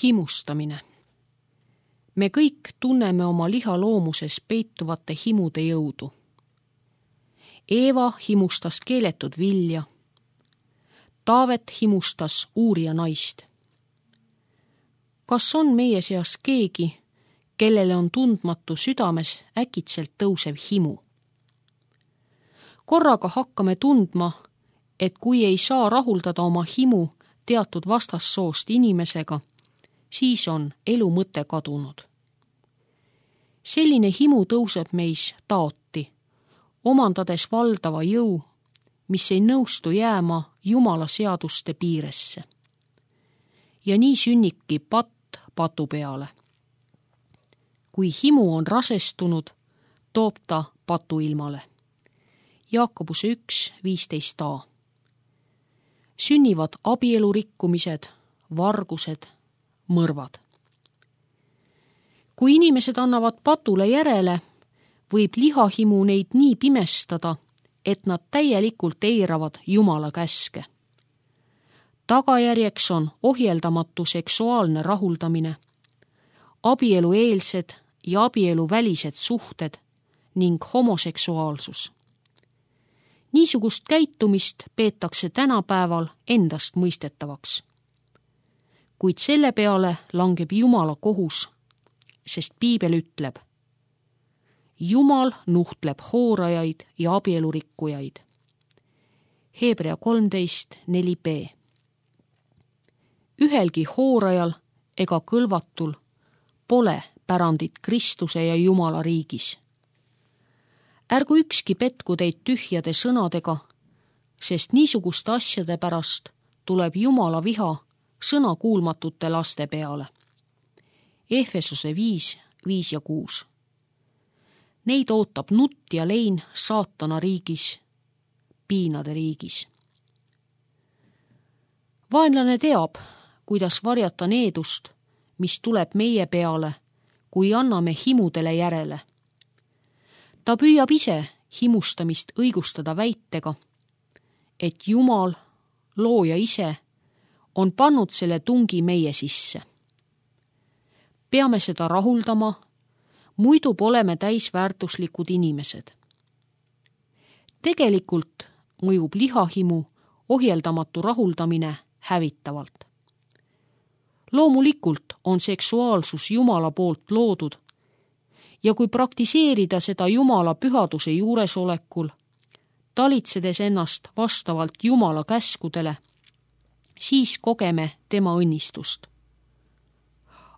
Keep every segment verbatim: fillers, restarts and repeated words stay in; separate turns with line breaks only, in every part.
Himustamine. Me kõik tunneme oma lihaloomuses peituvate himude jõudu. Eeva himustas keeletud vilja. Taavet himustas uurija naist. Kas on meie seas keegi, kellele on tundmatu südames äkitselt tõusev himu? Korraga hakkame tundma, et kui ei saa rahuldada oma himu teatud vastassoost inimesega, siis on elu mõte kadunud. Selline himu tõuseb meis taoti, omandades valdava jõu, mis ei nõustu jääma Jumala seaduste piiresse. Ja nii sünnibki patt patu peale. Kui himu on rasestunud, toob ta patu ilmale. Jaakobuse üks viisteist a. Sünnivad abielurikkumised, vargused, mõrvad. Kui inimesed annavad patule järele, võib lihahimu neid nii pimestada, et nad täielikult eiravad Jumala käske. Tagajärjeks on ohjeldamatu seksuaalne rahuldamine, abielueelsed ja abieluvälised suhted ning homoseksuaalsus. Niisugust käitumist peetakse tänapäeval endast mõistetavaks. Kuid selle peale langeb Jumala kohus, sest Piibel ütleb: Jumal nuhtleb hoorajaid ja abielurikkujaid. Hebrea kolmteist neli b. Ühelgi hoorajal ega kõlvatul pole pärandit Kristuse ja Jumala riigis. Ärgu ükski petku teid tühjade sõnadega, sest niisuguste asjade pärast tuleb Jumala viha sõnakuulmatute laste peale. Efesose viis, viis ja kuus. Neid ootab nutt ja lein saatana riigis, piinade riigis. Vaenlane teab, kuidas varjata needust, mis tuleb meie peale, kui anname himudele järele. Ta püüab ise himustamist õigustada väitega, et Jumal, looja ise, on pannud selle tungi meie sisse. Peame seda rahuldama, muidu pole me täisväärtuslikud inimesed. Tegelikult mõjub lihahimu ohjeldamatu rahuldamine hävitavalt. Loomulikult on seksuaalsus Jumala poolt loodud ja kui praktiseerida seda Jumala pühaduse juuresolekul, talitsedes ennast vastavalt Jumala käskudele, siis kogeme tema õnnistust.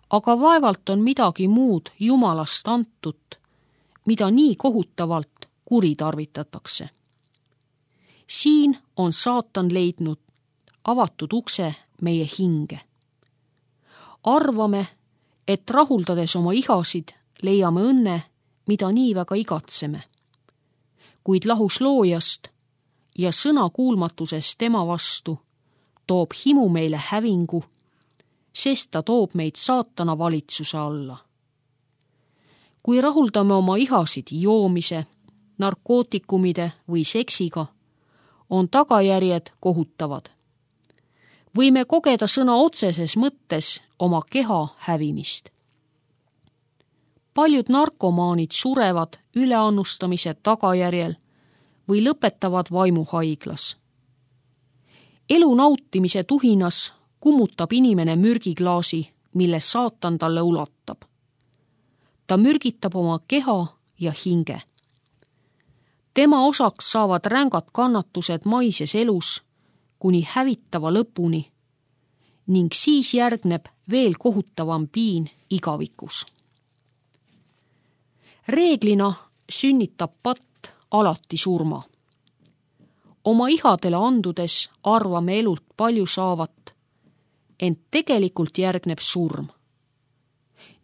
Aga vaevalt on midagi muud Jumalast antut, mida nii kohutavalt kuritarvitatakse. Siin on saatan leidnud avatud ukse meie hinge. Arvame, et rahuldades oma ihasid leiame õnne, mida nii väga igatseme. Kuid lahus loojast ja sõna kuulmatuses tema vastu toob himu meile hävingu, sest ta toob meid saatana valitsuse alla. Kui rahuldame oma ihasid joomise, narkootikumide või seksiga, on tagajärjed kohutavad. Võime kogeda sõna otseses mõttes oma keha hävimist. Paljud narkomaanid surevad üleannustamise tagajärjel või lõpetavad vaimuhaiglas. Elu nautimise tuhinas kummutab inimene mürgiklaasi, mille saatan talle ulatab. Ta mürgitab oma keha ja hinge. Tema osaks saavad rängad kannatused maises elus kuni hävitava lõpuni ning siis järgneb veel kohutavam piin igavikus. Reeglina sünnitab patt alati surma. Oma ihadele andudes arvame elult palju saavat, ent tegelikult järgneb surm.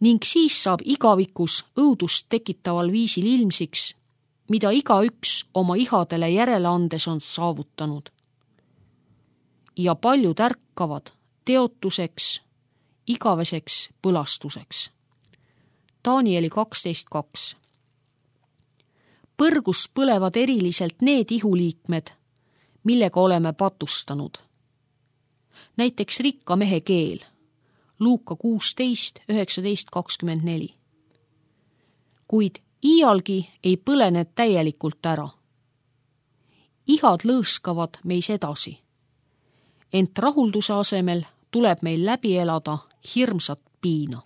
Ning siis saab igavikus õudust tekitaval viisil ilmsiks, mida igaüks oma ihadele järele andes on saavutanud. Ja paljud ärkavad teotuseks, igaveseks põlastuseks. Danieli kaksteist kaks. Põrgus põlevad eriliselt need ihuliikmed, millega oleme patustanud. Näiteks rikka mehe keel, Luuka kuusteist, üheksateist, kakskümmend neli. Kuid iialgi ei põle need täielikult ära. Ihad lõõskavad meis edasi. Ent rahulduse asemel tuleb meil läbi elada hirmsat piina.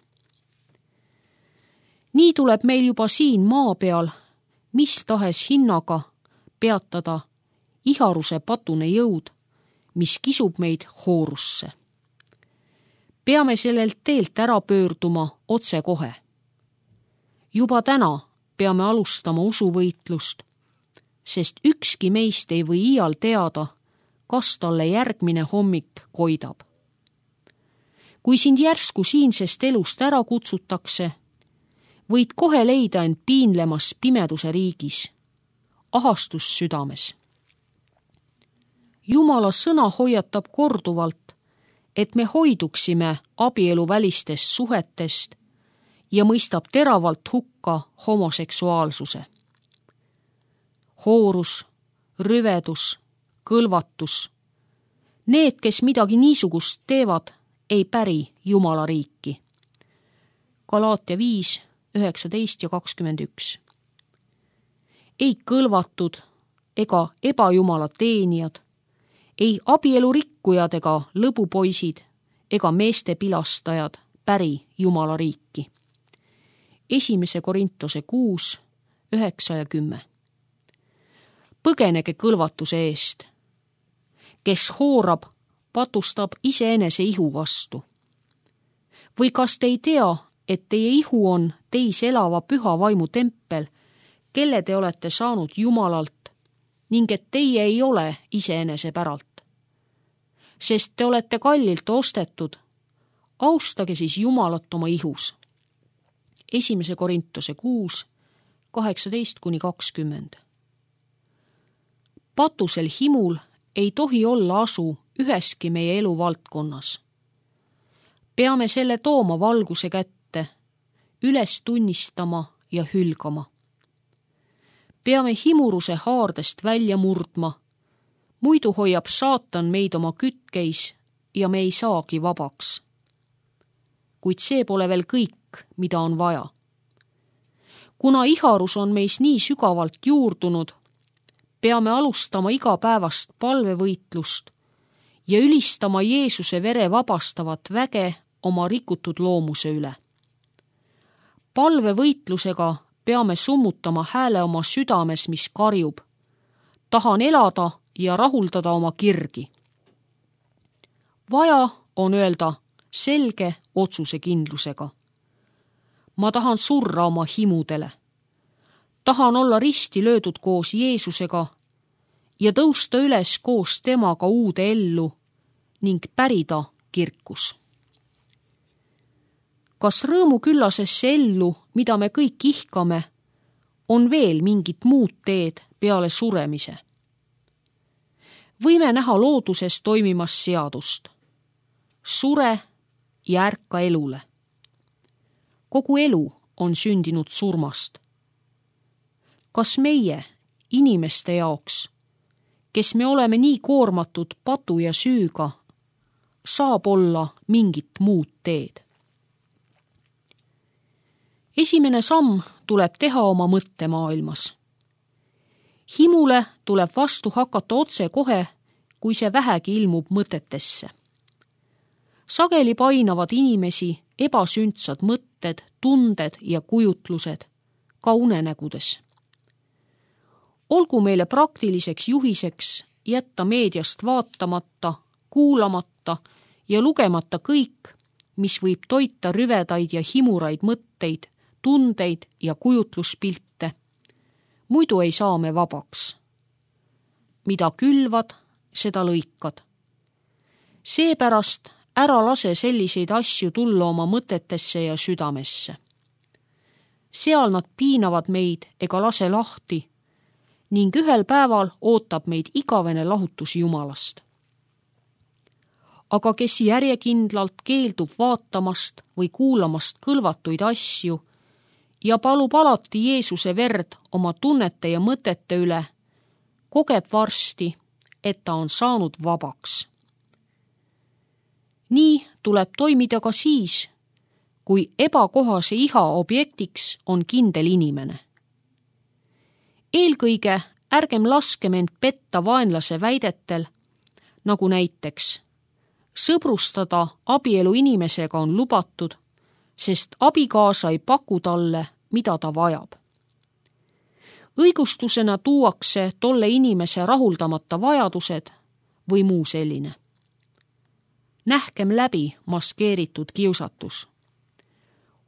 Nii tuleb meil juba siin maa peal mis tahes hinnaga peatada iharuse patune jõud, mis kisub meid hoorusse. Peame sellelt teelt ära pöörduma otse kohe. Juba täna peame alustama usuvõitlust, sest ükski meist ei või iial teada, kas talle järgmine hommik koidab. Kui sind järsku siinsest elust ära kutsutakse, võid kohe leida end piinlemas pimeduse riigis, ahastus südames. Jumala sõna hoiatab korduvalt, et me hoiduksime abieluvälistest suhetest ja mõistab teravalt hukka homoseksuaalsuse. Hoorus, rüvedus, kõlvatus. Need, kes midagi niisugust teevad, ei päri Jumala riiki. Galaatia viis, üheksateist ja kakskümmend üks. Ei kõlvatud ega ebajumala teenijad, ei abielurikkujad ega lõbupoisid ega meeste pilastajad päri Jumala riiki. Esimese Korintuse kuus, üheksa ja kümme. Põgenege kõlvatuse eest. Kes hoorab, patustab iseenese ihu vastu. Või kas te ei tea, et teie ihu on teis elava püha vaimu tempel, kelle te olete saanud Jumalalt, ning et teie ei ole iseenese päralt? Sest te olete kallilt ostetud, austage siis Jumalat oma ihus. Esimese Korintuse kuus, kaheksateist kuni kakskümmend. Patusel himul ei tohi olla asu üheski meie elu valdkonnas. Peame selle tooma valguse kätte, üles tunnistama ja hülgama. Peame himuruse haardest välja murdma, muidu hoiab saatan meid oma kütkeis ja me ei saagi vabaks. Kuid see pole veel kõik, mida on vaja. Kuna iharus on meis nii sügavalt juurdunud, peame alustama igapäevast palvevõitlust ja ülistama Jeesuse vere vabastavat väge oma rikutud loomuse üle. Palvevõitlusega peame summutama hääle oma südames, mis karjub. Tahan elada ja rahuldada oma kirgi. Vaja on öelda selge otsusekindlusega. Ma tahan surra oma himudele. Tahan olla risti löödud koos Jeesusega ja tõusta üles koos temaga uude ellu ning pärida kirkus. Kas rõõmuküllasesse ellu, mida me kõik ihkame, on veel mingit muud teed peale suremise? Võime näha looduses toimimas seadust. Sure ja ärka elule. Kogu elu on sündinud surmast. Kas meie, inimeste jaoks, kes me oleme nii koormatud patu ja süüga, saab olla mingit muud teed? Esimene samm tuleb teha oma mõttemaailmas. Himule tuleb vastu hakata otse kohe, kui see vähegi ilmub mõtetesse. Sageli painavad inimesi ebasündsad mõtted, tunded ja kujutlused, ka unenägudes. Olgu meile praktiliseks juhiseks jätta meediast vaatamata, kuulamata ja lugemata kõik, mis võib toita rüvedaid ja himuraid mõtteid, tundeid ja kujutluspilte. Muidu ei saa me vabaks. Mida külvad, seda lõikad. Seepärast ära lase selliseid asju tulla oma mõtetesse ja südamesse. Seal nad piinavad meid ega lase lahti ning ühel päeval ootab meid igavene lahutus Jumalast. Aga kes järjekindlalt keeldub vaatamast või kuulamast kõlvatuid asju ja palub alati Jeesuse verd oma tunnete ja mõtete üle, kogeb varsti, et ta on saanud vabaks. nii tuleb toimida ka siis, kui ebakohase iha objektiks on kindel inimene. Eelkõige ärgem laskem end petta vaenlase väidetel, nagu näiteks sõbrustada abielu inimesega on lubatud, sest abikaasa ei paku talle, mida ta vajab. Õigustusena tuuakse tolle inimese rahuldamata vajadused või muu selline. Nähkem läbi maskeeritud kiusatus.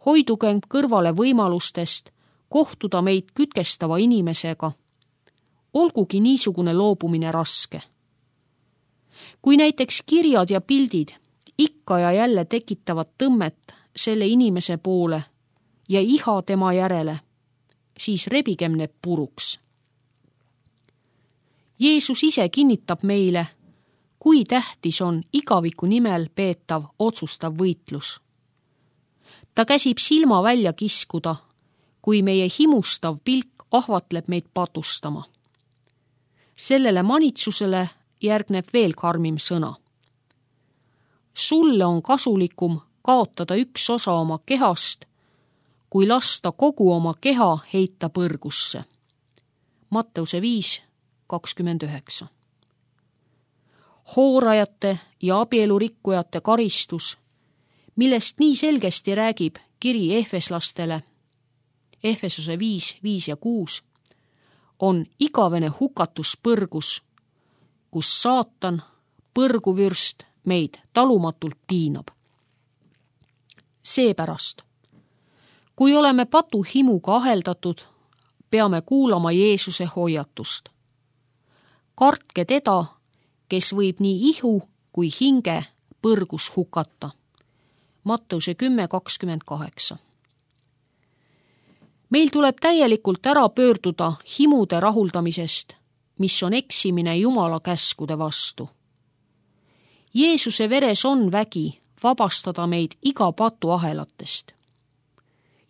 Hoidugem kõrvale võimalustest kohtuda meid kütkestava inimesega, olgugi niisugune loobumine raske. Kui näiteks kirjad ja pildid ikka ja jälle tekitavad tõmmet selle inimese poole ja iha tema järele, siis rebigem need puruks. Jeesus ise kinnitab meile, kui tähtis on igaviku nimel peetav otsustav võitlus. Ta käsib silma välja kiskuda, kui meie himustav pilk ahvatleb meid patustama. Sellele manitsusele järgneb veel karmim sõna. Sulle on kasulikum kaotada üks osa oma kehast, kui lasta kogu oma keha heita põrgusse. Matteuse viis kakskümmend üheksa. Hoorajate ja abielurikkujate karistus, millest nii selgesti räägib kiri Efeslastele, Efesuse viis, viis ja kuus, on igavene hukatus põrgus, kus saatan, põrguvürst, meid talumatult piinab. Seepärast, kui oleme patuhimuga aheldatud, peame kuulama Jeesuse hoiatust. Kartke teda, kes võib nii ihu kui hinge põrgus hukata. Matteuse kümme kakskümmend kaheksa. Meil tuleb täielikult ära pöörduda himude rahuldamisest, mis on eksimine Jumala käskude vastu. Jeesuse veres on vägi vabastada meid iga patuahelatest.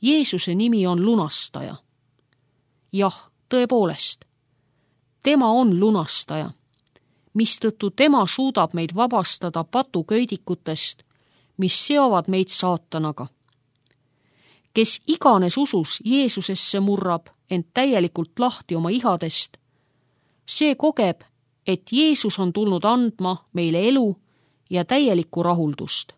Jeesuse nimi on lunastaja. Jah, tõepoolest, tema on lunastaja, mistõttu tema suudab meid vabastada patuköidikutest, mis seovad meid saatanaga. Kes iganes usus Jeesusesse murrab ent täielikult lahti oma ihadest, see kogeb, et Jeesus on tulnud andma meile elu ja täielikku rahuldust.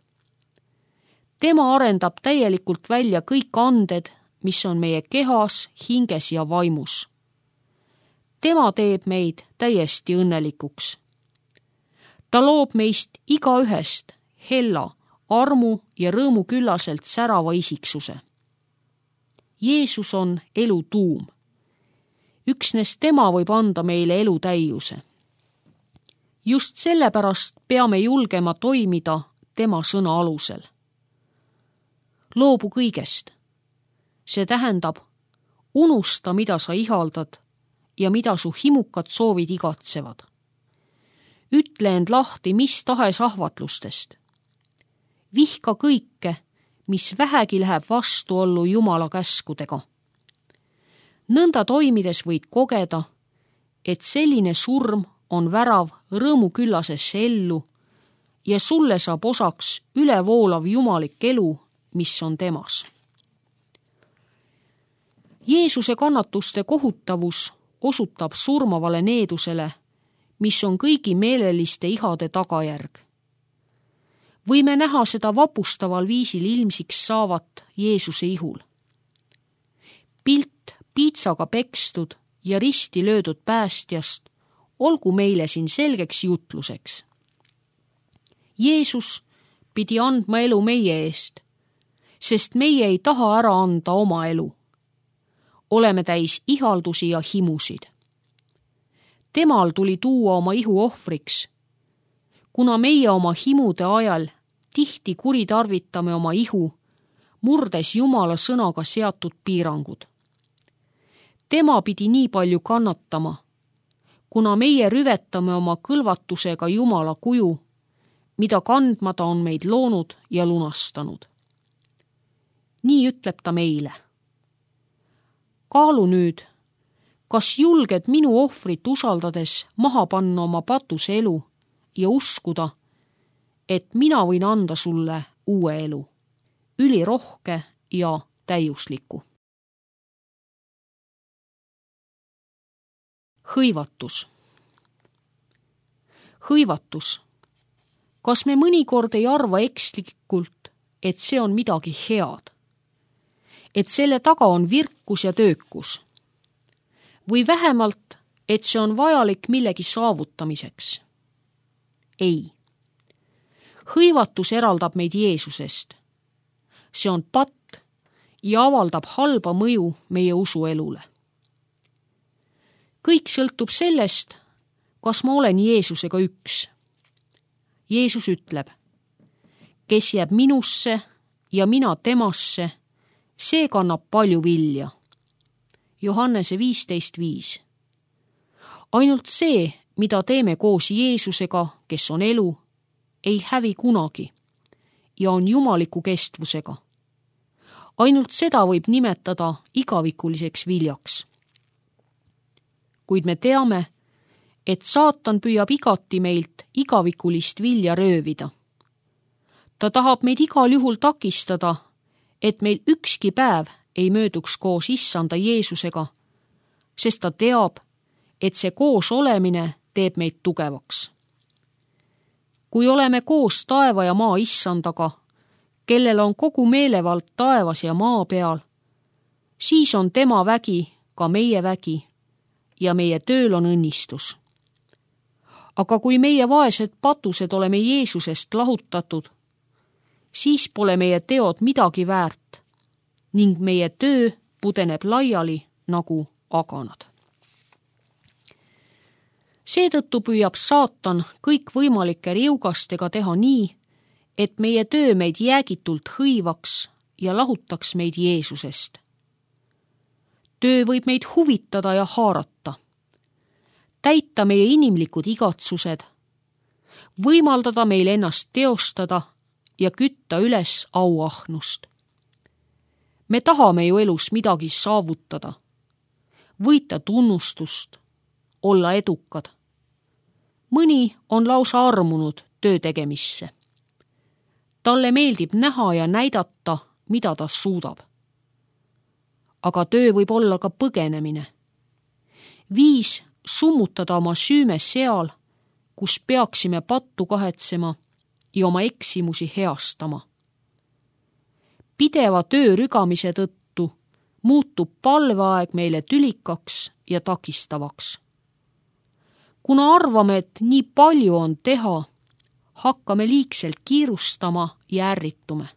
Tema arendab täielikult välja kõik anded, mis on meie kehas, hinges ja vaimus. Tema teeb meid täiesti õnnelikuks. Ta loob meist igaühest hella, armu ja rõõmu küllaselt särava isiksuse. Jeesus on elu tuum. Üksnes tema võib anda meile elu täiuse. Just sellepärast peame julgema toimida tema sõna alusel. Loobu kõigest. See tähendab, unusta, mida sa ihaldad ja mida su himukad soovid igatsevad. Ütle end lahti mis tahes ahvatlustest. Vihka kõike, mis vähegi läheb vastuollu Jumala käskudega. Nõnda toimides võid kogeda, et selline surm on värav rõõmuküllasesse ellu ja sulle saab osaks ülevoolav jumalik elu, mis on temas. Jeesuse kannatuste kohutavus osutab surmavale needusele, mis on kõigi meeleliste ihade tagajärg. Võime näha seda vapustaval viisil ilmsiks saavat Jeesuse ihul. Pilt piitsaga pekstud ja risti löödud päästjast olgu meile siin selgeks jutluseks. Jeesus pidi andma elu meie eest, sest meie ei taha ära anda oma elu. Oleme täis ihaldusi ja himusid. Temal tuli tuua oma ihu ohvriks, kuna meie oma himude ajal tihti kuritarvitame oma ihu, murdes Jumala sõnaga seatud piirangud. Tema pidi nii palju kannatama, kuna meie rüvetame oma kõlvatusega Jumala kuju, mida kandma ta on meid loonud ja lunastanud. Nii ütleb ta meile. Kaalu nüüd, kas julged minu ohvrit usaldades maha panna oma patuse elu ja uskuda, et mina võin anda sulle uue elu, ülirohke ja täiusliku. Hõivatus. Hõivatus. Kas me mõnikord ei arva ekslikult, et see on midagi head? Et selle taga on virkus ja töökus? Või vähemalt, et see on vajalik millegi saavutamiseks? Ei. Hõivatus eraldab meid Jeesusest. See on patt ja avaldab halba mõju meie usuelule. Kõik sõltub sellest, kas ma olen Jeesusega üks. Jeesus ütleb, kes jääb minusse ja mina temasse, see kannab palju vilja. Johannese viisteist viis. Ainult see, mida teeme koos Jeesusega, kes on elu, ei hävi kunagi ja on jumaliku kestvusega. Ainult seda võib nimetada igavikuliseks viljaks. Kuid me teame, et saatan püüab igati meilt igavikulist vilja röövida. Ta tahab meid igal juhul takistada, et meil ükski päev ei mööduks koos issanda Jeesusega, sest ta teab, et see koos olemine teeb meid tugevaks. Kui oleme koos taeva ja maa issandaga, kellel on kogu meelevald taevas ja maa peal, siis on tema vägi ka meie vägi ja meie tööl on õnnistus. Aga kui meie vaesed patused oleme Jeesusest lahutatud, siis pole meie teod midagi väärt ning meie töö pudeneb laiali nagu aganad. Seetõttu püüab saatan kõikvõimalike riugastega teha nii, et meie töö meid jäägitult hõivaks ja lahutaks meid Jeesusest. Töö võib meid huvitada ja haarata, täita meie inimlikud igatsused, võimaldada meil ennast teostada ja kütta üles auahnust. Me tahame ju elus midagi saavutada, võita tunnustust, olla edukad. Mõni on lausa armunud töö tegemisse. Talle meeldib näha ja näidata, mida ta suudab. Aga töö võib olla ka põgenemine. Viis summutada oma süüme seal, kus peaksime pattu kahetsema ja oma eksimusi heastama. Pideva töö rügamise tõttu muutub palveaeg meile tülikaks ja takistavaks. Kuna arvame, et nii palju on teha, hakkame liigselt kiirustama ja ärritume.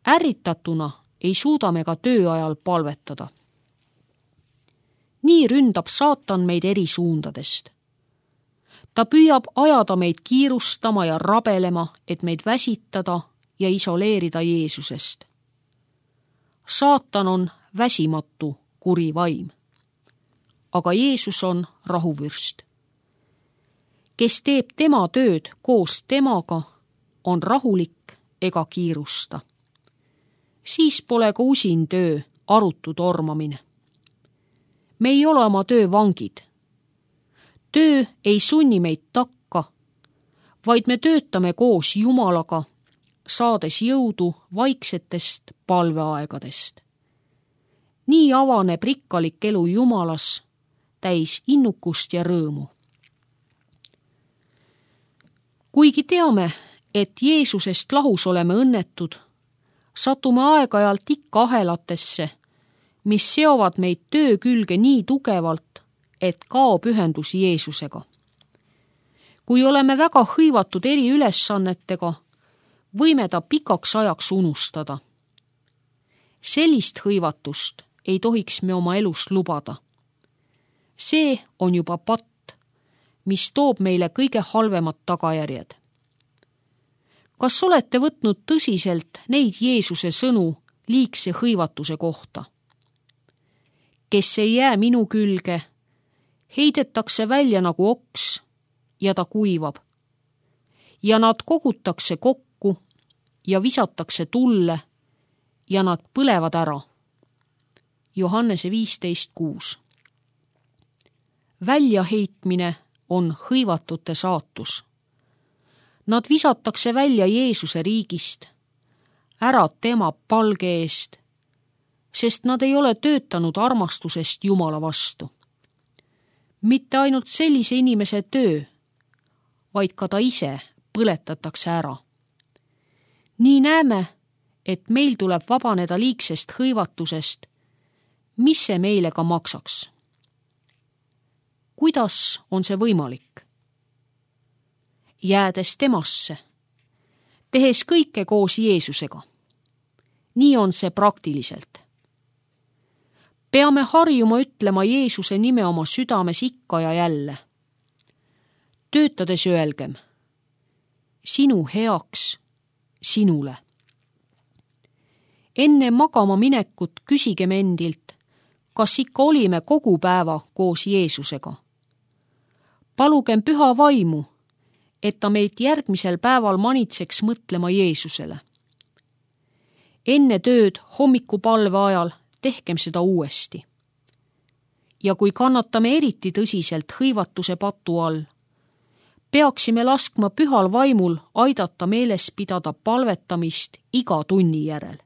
Ärritatuna ei suuda me ka tööajal palvetada. Nii ründab saatan meid eri suundadest. Ta püüab ajada meid kiirustama ja rabelema, et meid väsitada ja isoleerida Jeesusest. Saatan on väsimatu kuri vaim. Aga Jeesus on rahuvürst. Kes teeb tema tööd koos temaga, on rahulik ega kiirusta. Siis pole ka usin töö arutu tormamine. Me ei ole oma töö vangid. Töö ei sunni meid takka, vaid me töötame koos Jumalaga, saades jõudu vaiksetest palveaegadest. Nii avaneb rikkalik elu Jumalas, täis innukust ja rõõmu. Kuigi teame, et Jeesusest lahus oleme õnnetud, satume aeg-ajalt ikka ahelatesse, mis seovad meid töö külge nii tugevalt, et kaob ühendus Jeesusega. Kui oleme väga hõivatud eri ülesannetega, võime ta pikaks ajaks unustada. Sellist hõivatust ei tohiks me oma elus lubada. See on juba patt, mis toob meile kõige halvemad tagajärjed. Kas olete võtnud tõsiselt neid Jeesuse sõnu liigse hõivatuse kohta? Kes ei jää minu külge, heidetakse välja nagu oks ja ta kuivab. Ja nad kogutakse kokku ja visatakse tulle ja nad põlevad ära. Johannese viisteist kuus. Väljaheitmine on hõivatute saatus. Nad visatakse välja Jeesuse riigist, ära tema palge eest, sest nad ei ole töötanud armastusest Jumala vastu. Mitte ainult sellise inimese töö, vaid ka ta ise põletatakse ära. Nii näeme, et meil tuleb vabaneda liigsest hõivatusest, mis see meile ka maksaks. Kuidas on see võimalik? Jäädes temasse, tehes kõike koos Jeesusega. Nii on see praktiliselt. Peame harjuma ütlema Jeesuse nime oma südames ikka ja jälle. Töötades öelgem, sinu heaks, sinule. Enne magama minekut küsigem endilt, kas ikka olime kogu päeva koos Jeesusega. Palugem püha vaimu, et ta meid järgmisel päeval manitseks mõtlema Jeesusele. Enne tööd hommikupalve ajal tehkem seda uuesti. Ja kui kannatame eriti tõsiselt hõivatuse patu all, peaksime laskma pühal vaimul aidata meeles pidada palvetamist iga tunni järel.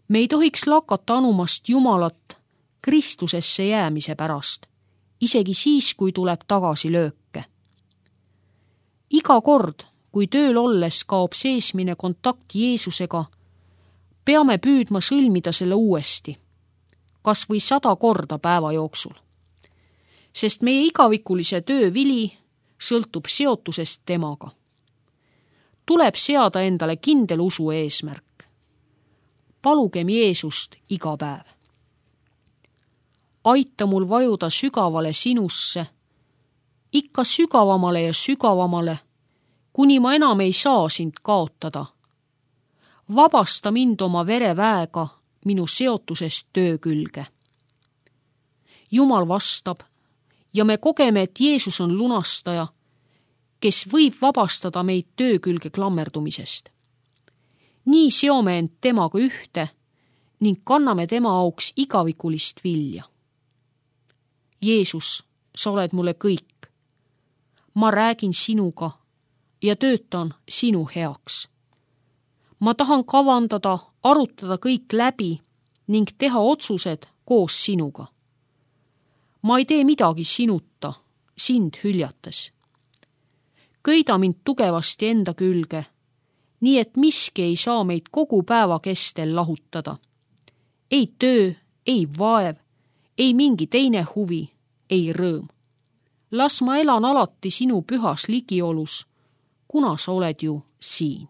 Me ei tohiks lakata anumast Jumalat Kristusesse jäämise pärast, isegi siis, kui tuleb tagasi lööke. Iga kord, kui tööl olles kaob seesmine kontakt Jeesusega, peame püüdma sõlmida selle uuesti, kas või sada korda päeva jooksul. Sest meie igavikulise töö vili sõltub seotusest temaga. Tuleb seada endale kindel usu eesmärk. Palugem Jeesust iga päev. Aita mul vajuda sügavale sinusse, ikka sügavamale ja sügavamale, kuni ma enam ei saa sind kaotada. Vabasta mind oma vereväega minu seotusest töö külge. Jumal vastab ja me kogeme, et Jeesus on lunastaja, kes võib vabastada meid töö külge klammerdumisest. Nii seome end temaga ühte ning kanname tema auks igavikulist vilja. Jeesus, sa oled mulle kõik. Ma räägin sinuga ja töötan sinu heaks. Ma tahan kavandada, arutada kõik läbi ning teha otsused koos sinuga. Ma ei tee midagi sinuta, sind hüljates. Köida mind tugevasti enda külge, nii et miski ei saa meid kogu päeva kestel lahutada. Ei töö, ei vaev, ei mingi teine huvi, ei rõõm. Las ma elan alati sinu pühas ligiolus, kuna sa oled ju siin.